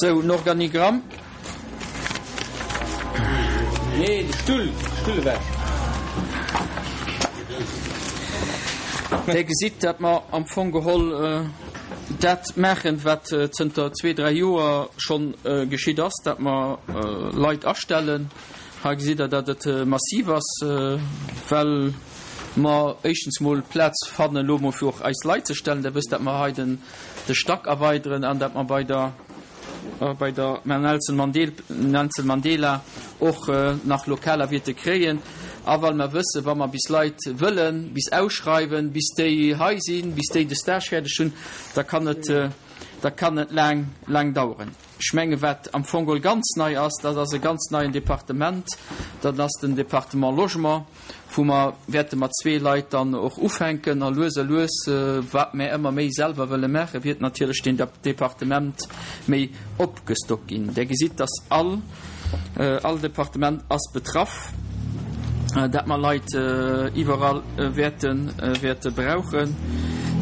Sou, en Organigramm. Nee, de Stull, Stull ewech. Dir gesitt, datt mer am Fong geholl dat maachen, wat zënter zwee, dräi Joer schonn geschitt ass, datt mer Leit astellen. Hei gesitt Der, datt et massiv ass, well mer éischtens mol Plaz fannen, elo mol fir och eis Leit ze stellen. Der wësst, datt mer hei den de Stack erweideren an datt mer bei der bei der Nelson Nelson Mandela och nach Lokaler wierte kréien. A well mer wëssen, wa mer bis Leit wëllen bis ausschreiwen, bis déi hei sinn, bis déi de Stage fäerdeg hunn, da kann et da kann et laang laang daueren. Ech menge wat am Fong geholl ganz nei ass, dat ass e ganz neien Departement, dat ass den Département Logement, wou mer wäerte mat zwee Leit dann och ufänken a lues a lues, wat mer ëmmer méi selwer wëlle maachen, wiert natierlech deen Departement méi opgestockt ginn. Där gesitt, dass all, all Departement ass betraff, dat mer Leit iwwerall wäerte, wäerte brauchen.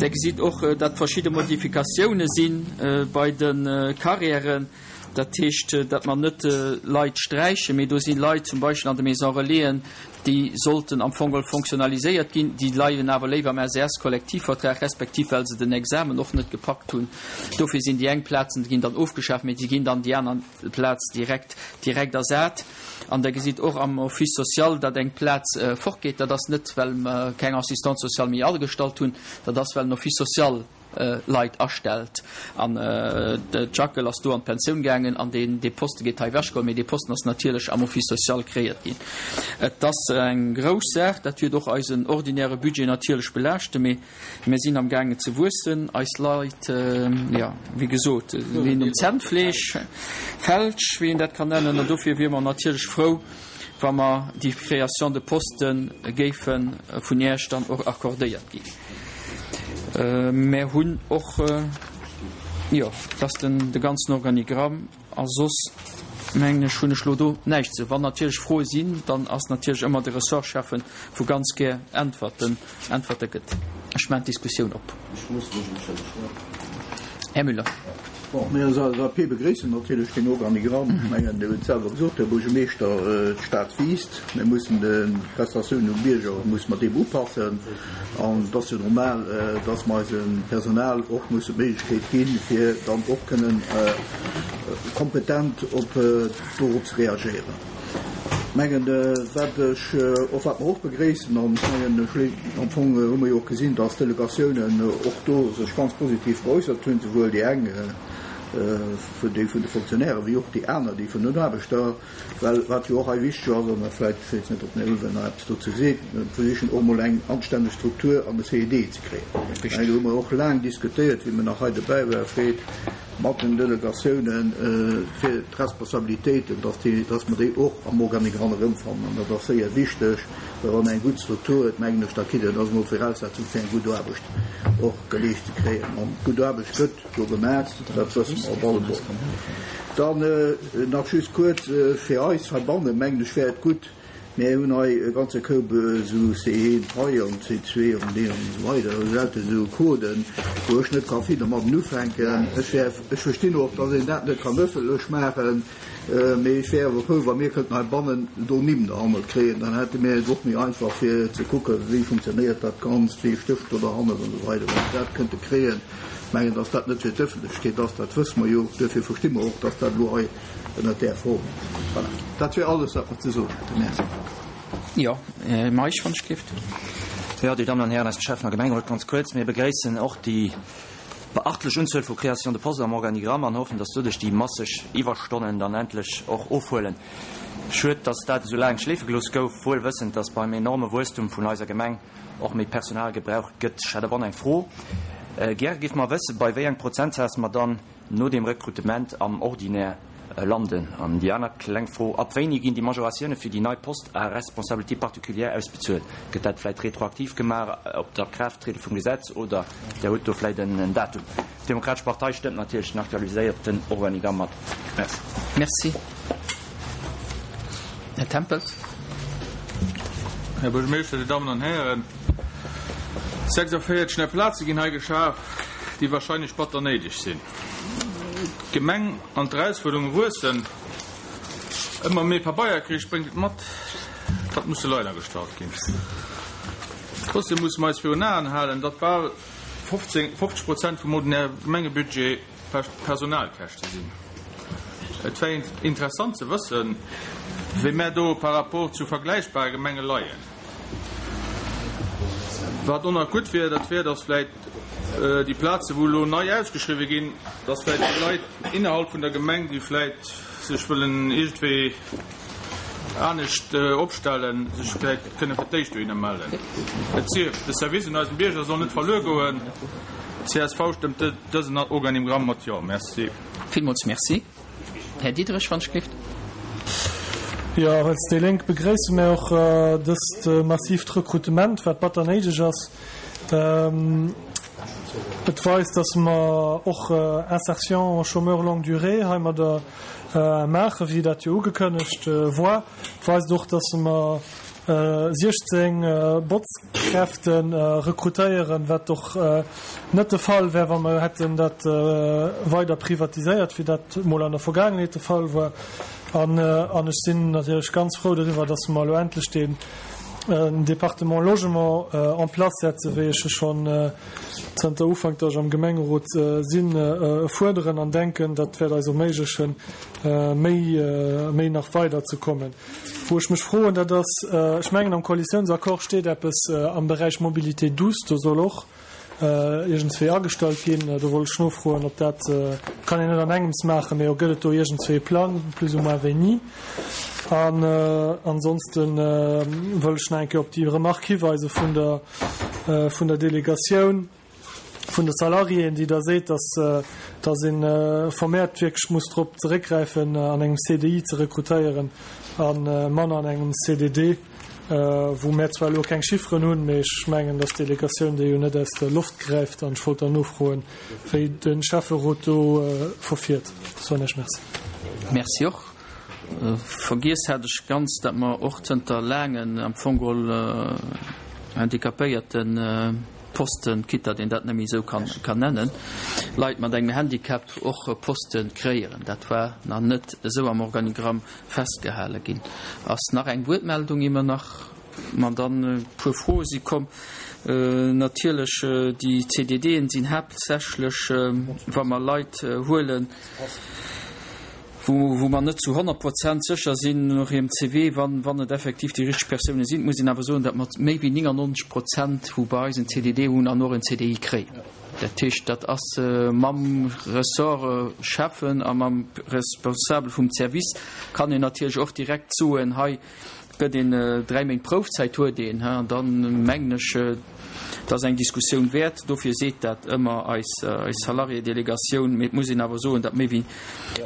Där gesitt och, dat verschidde Modifikatioune si bei de Carrièren. Dat heescht, datt mer net Leit sträichen, mee do si Leit zum Beispill an de Maisons Relaisen, déi sollten am Fong geholl fonctionnaliséiert ginn, déi leien awer léiwer am SES-Kollektivvertrag, respektiv well se den Examen och net gepackt hunn. Dofir sinn déi eng Plazen ginn dann ofgeschaaft, mee déi ginn dann déi aner Plaz direkt direkt ersat. An Der gesitt och am Office social, datt eng Plaz fortgeet. Dat ass net, well mer keng Assistante sociale méi agestallt hunn, dat ass, well den Office social Leit astellt. An d'Jacquel ass do an d'Pensioun gaangen an deen dee Poste geet hei ewechgeholl. Mee dee Posten ass natierlech am Office social kreéiert ginn. Et ass eng grouss Saach. Dat wäert och eisen ordinäre Budget natierlech belaaschten. Mee mir sinn am gaangen ze wuessen. Eis Leit, jo, wéi gesot, leeën um Zännfleesch, Felsch, wéi een dat kann nennen. An dofir wiere mer natierlech frou, wa mer déi Création de poste géife vun Iech dann och accordéiert ginn. Mär hunn och, jo, dat ass den de ganzen Organigramm a soss mengen ech hunn ech elo do näischt ze. Wann natierlech Froe sinn, dann ass natierlech ëmmer de Ressortschäffen, wou ganz gär Äntwerten, Äntwerte gëtt. Ech maachen d'Diskussioun op. Här Müller. Bon, mir als LSAP begréissen natierlech deen Organigramm. Ech mengen, Dir hutt et selwer gesot, Här Buergermeeschter, d'Stad wiisst. Mir mussen d'Prestatiounen um Bierger musse mer deem upassen. An et ass jo normal, dass mer eisem Personal och mussen d'Méiglechkeet ginn, fir dann och kënnen kompetent op dorop ze reagéieren. Ech mengen, wat ech och, wat mer och begréissen, an ech mengen, am Fong hu mer jo och gesinn, dass d'Delegatiounen och do sech ganz positiv geäussert hunn, souwuel déi eng vun déi vun de Fonctionnairen wéi och déi aner, déi vun den Aarbechter, well wat jo och hei wichteg ass, an vläicht, ech weess net, ob den Här Ullmann nach eppes dozou seet, mir versichen och emol eng anstänneg Struktur an de CED ze kréien. Ech mengen, do hu mer och laang diskutéiert, wéi mir nach hei dobäi waren, Fred. mat den Delegatiounen fir d'Responsabilitéiten, dass déi, dass mer déi och am Organigramm erëmfannen. An dat ass séier wichteg, well wann een eng gutt Struktur huet, mengen ech, da kritt een, dat ass emol d'Voraussetzung fir eng gutt Aarbecht och geleescht ze kréien. An gutt Aarbecht gëtt do gemaach, dat wësse mer op alle Fall. Dann nach just kuerz, fir eis heibannen, mengen ech, wär et gutt, Mir hunn hei e ganze Koup esou C1 hei an C2 an D an esou weider, esou lauter esou Coden, wou ech net ka vill domadden ufänken. Ech wär, ech verstinn och, dass een dat net kann ëffentlech maachen, mee ech wär awer frou, wa mir kënnten heibannen do Nimm derhannert kréien, dann hätte mir et och méi einfach fir ze kucken, wéi funktionéiert dat Ganzt, wéi stécht do derhannert an esou weider. Wa mir dat kënnte kréien, ech mengen, dass dat net fir d'Ëffentlechkeet ass, dat wësse mer jo, duerfir versti mer och, dass dat elo hei Ënnert där Form. Voilà, dat wier alles, wat mer ze soen hätten. Merci. Jo, Här Meisch, wann ech dierft. Jo, Dir Dammen an Hären aus dem Schäffen a Gemengerot, ganz kuerz, Mir begréissen och déi beachtlech Unzuel vu Créations de postes am Organigramm an hoffen, dass doduerch déi masseg Iwwerstonnen dann endlech och ofhuelen. Schued, dass dat esou laang schleefe gelooss gouf, wuel wëssend, dass beim enorme Wuesstum vun eiser Gemeng och méi Personal gebraucht gëtt. Ech hätt awer och nach eng Fro. Gäre géife mer wëssen, bei wéi engem Prozentsaz mer dann no dem Rekrutement am Ordinaire landen? An déi aner kleng Fro, Ab wéini ginn déi Majoratioune fir déi nei Postes à responsabilité particulière ausbezuelt? Gëtt dat vläit retroaktiv gemaach op d'Akraafttriede vum Gesetz oder Der hutt do vläit en Datum? D'Demokratesch Partei stëmmt natierlech den aktualiséierten Organigramm mat. Merci. Merci. Här Tempels. Här Buergermeeschter, Dir Dammen an Hären, 46 nei Plaze ginn hei geschaf, déi wahrscheinlech batter néideg sinn. D'Gemeng an d'Erausfuerderunge wuessen. Ëmmer méi Pabeierkrich bréngt et mat, datt musse Leit agestallt ginn. Trotzdem musse mer eis virun Aen halen, datt bal 15, 50 Prozent vum ordinäre Gemengebudget Personalkäschte sinn. Et wär interessant ze wëssen, wéi mär do par rapport zu vergläichbare Gemenge leien. Wat och nach gutt wier, dat wier, datt vläicht déi Plaze wou elo nei ausgeschriwwe ginn, datt vläicht déi Leit innerhalb vun der Gemeng, déi vläicht sech wëllen iergendwéi anescht opstellen, sech vläicht kënne fir d'éischt dohinner mellen. Et sief, de Service un eisen Bierger soll net verluer goen. Csv stëmmt dësen Organigramm mat Jo. Merci. Villmools Merci. Här Diderich, wann ech gelift. Jo, als déi Lénk begréisse mär och dëst massiivt Rekrutement, wat batter néideg ass. Et weist, dass mer och Insertion chômeurs longue durée heimadder maachen, wéi dat jo ugekënnegt war. Et weist och, dass mer 16 Botzkräfte rekrutéieren, wat och net de Fall wär, wa mer hätten dat weider privatiséiert, wéi dat mol an der Vergaangenheet de Fall war. An ech sinn natierlech ganz frou doriwwer, dass mer elo endlech deen Département Logement en place setzen, wéi ech e schonn zënter Ufank, datt ech am Gemengerot sinn, fuerderen an denken, dat wäert eis erméiglechen, méi, méi nach weiderzekommen. Wou ech mech froen, dat ass, ech mengen am Koalitiounsaccord steet eppes am Beräich Mobilité douce, do soll och iergendswéi agestallt ginn. Do wollt ech nofroen, ob dat, kann een net an engems maachen, mee gëtt et do iergendswéi e Plang, plus ou moins wéini? An ansonste wëll ech nach eng Kéier op déi Remarque hiweise vun der, vun der Delegatioun vun de Salariéen, déi da seet, dass, dass ee vermehrt wierklech muss drop zeréckgräifen, an engem CDI ze rekrutéieren a manner an engem CDD. Wou mär zwar elo keng Chifferen hunn, mee ech mengen, dass d'Delegatioun déi jo net aus der Loft gräift. An ech wollt dann nofroen, wéi de Schäfferot do verfiert. Dat war näischt. Merci. Merci och. Vergiess hat ech ganz, datt mer och zënter laangen am Fong geholl handicapéierte Posten, quitte datt een dat net méi esou kann nennen, Leit mat engem Handicap och Poste kréieren. Dat war nach net esou am Organigramm Festgehale ginn. Ass nach eng Wuertmeldung immer nach? Ma dann e puer Froe si komm. Natierlech, déi CDDen sinn haaptsächlech, wa mer Leit huelen, wou mer net zu 100 Prozent sécher sinn no hirem CV, wann, wann et effektiv déi richteg Persounen sinn. Et muss een awer soen, datt mer méi wéi 99 Prozent, wou bei eis en CDD hunn, an och en CDI kréien. Dat heescht, dat ass mam Ressort Schäffen a mam Responsabel vum Service kann een natierlech och direkt soen, hei gëtt een 3 Méint Proufzäit huet een, an dann mengen ech, dat ass eng Diskussioun wäert. Dofir seet dat ëmmer eis Salariédelegatioun. Mee et muss een awer soen, datt méi wéi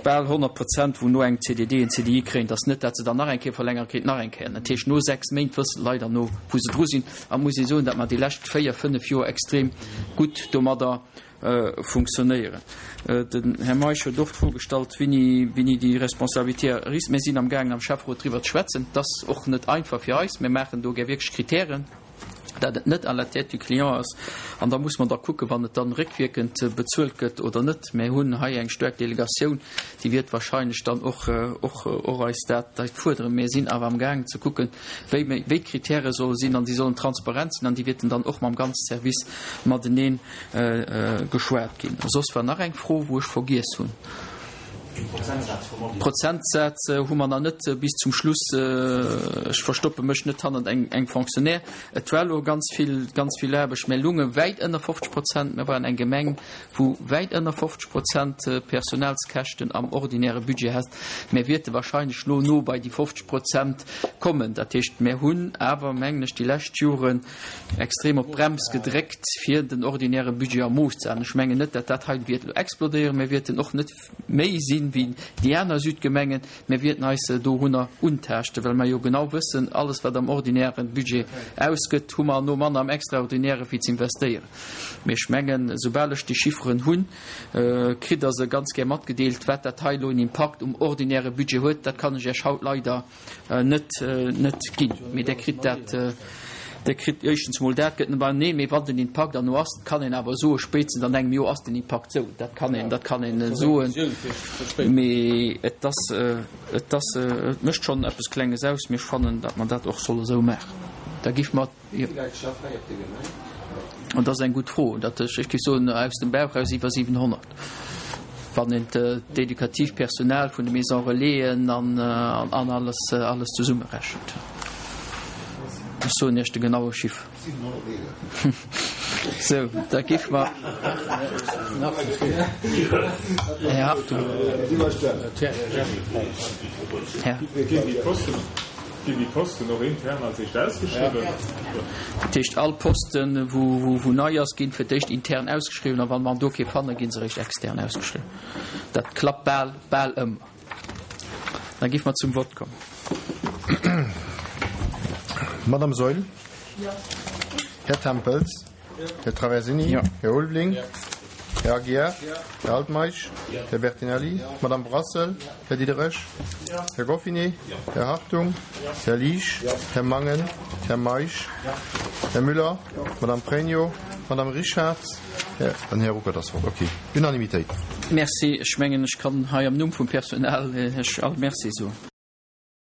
bal 100 Prozent, wou no engem CDD en CDI kréien, datt net, datt se dann nach eng Kéier verlängere kritt, nach eng Kéier. Dat heescht, no 6 Méint wëssen d'Leit herno, wou se dru sinn. A muss ee soen, datt mer déi lescht 4, 5 Joer extrem gutt domadder funktionéieren. Den Här Meisch huet och d'Fro gestallt, wéini, wéini déi Responsabilité erist. Mir sinn amgaangen am Schäfferot driwwer ze schwätzen. Et ass och net einfach fir eis. Mir maachen do gär wierklech Kritären, dat et net à la tête du client ass. An da muss mer da kucken, wann et dann réckwierkend bezuelt gëtt oder net. Mir hunn hei eng staark Delegatioun, déi wiert wahrscheinlech dann och, och, och eis dat, dat fuerderen. Mir sinn awer amgaangen ze kucken, wéi wéi d'Kritäre solle sinn, an déi sollen transparent sinn an déi wäerten dann och mam ganze Service matenee geschwat ginn. Soss war nach eng Fro, wou ech vergiess hunn. Prozentsaz hu mer nach net bis zum Schluss. Ech verstoppe mech net hannert engem Fonctionnaire. Et war elo ganz vill, ganz vill Aarbecht. Mir lounge wäit ënner 50 Prozent. Mir waren eng Gemeng, wou wäit ënner 50 Prozent Personalskäschten am ordinäre Budget hat. Mir wäerte wahrscheinlech lo no bei déi 50 Prozent kommen. Dat heescht, mir hunn awer, mengen ech, déi lescht Joren extrem op d'Brems gedréckt, fir den ordinäre Budget a Mooss ze halen. Ech mengen net, datt dat hei wäert elo explodéieren. Mir wäerten och net méi sinn wéi déi aner Südgemengen. Mir wäerten eis dorunner untaaschten, well mer jo genau wëssen, alles wat am ordinäre Budget ausgëtt, hu mer herno manner am Extraordinäre fir ze investéieren. Mee ech mengen, soubal ech déi Chifferen hunn, kritt Der se ganz gär matgedeelt. Wat dat hei elo en Impakt um ordinäre Budget huet, dat kann ech Iech haut leider net net ginn. Mee Der kritt dat. Dir kritt éischtens emol dat gëtt net, nee, mee wann den Impakt dann no ass, kann een awer soen, spéitstens an engem Joer ass den Impakt sou. Dat kann een, dat kann een soen. Mee et ass, et ass, et mécht schonn eppes Klenges aus. Mee ech fannen, datt mer dat och solle sou maachen. Da giff mer. Wéi vill Leit schaffen hei op der Gemeng? Dat ass eng gutt Fro. Dat, ech géif soen, aus dem Bauch eraus iwwer 700. Wann een d'educativ Personal vun de Maisons Relaisen an alles, alles zesummerechent. Ech soen Iech de genaue Chiffre. Sou, da géife mer. Här Hartung. Här. Ginn déi Posten och intern als éischt ausgeschriwwen? Dat heescht, all Posten, wou nei ass, ginn fir d'éischt intern ausgeschriwwen a wa mer do kee fannen, gi se eréischt extern ausgeschriwwen. Dat klappt bal, bal ëmmer. Da géife mer zum Vott kommen. Madame Saeul? Här Tempels? Här Traversini? Här Ulveling? Här Aguiar? Här Altmeisch? Här Bertinelli? Madame Brassel? Här Diderich? Här Goffinet? Här Hartung? Här Liesch? Här Mangen? Här Meisch? Här Müller? Madame Pregno? Madame Richarz? An Här Ruckert ass fort. Okay, Unanimitéit. Merci. Ech mengen, ech kann hei am Numm vum Personal Iech all Merci soen.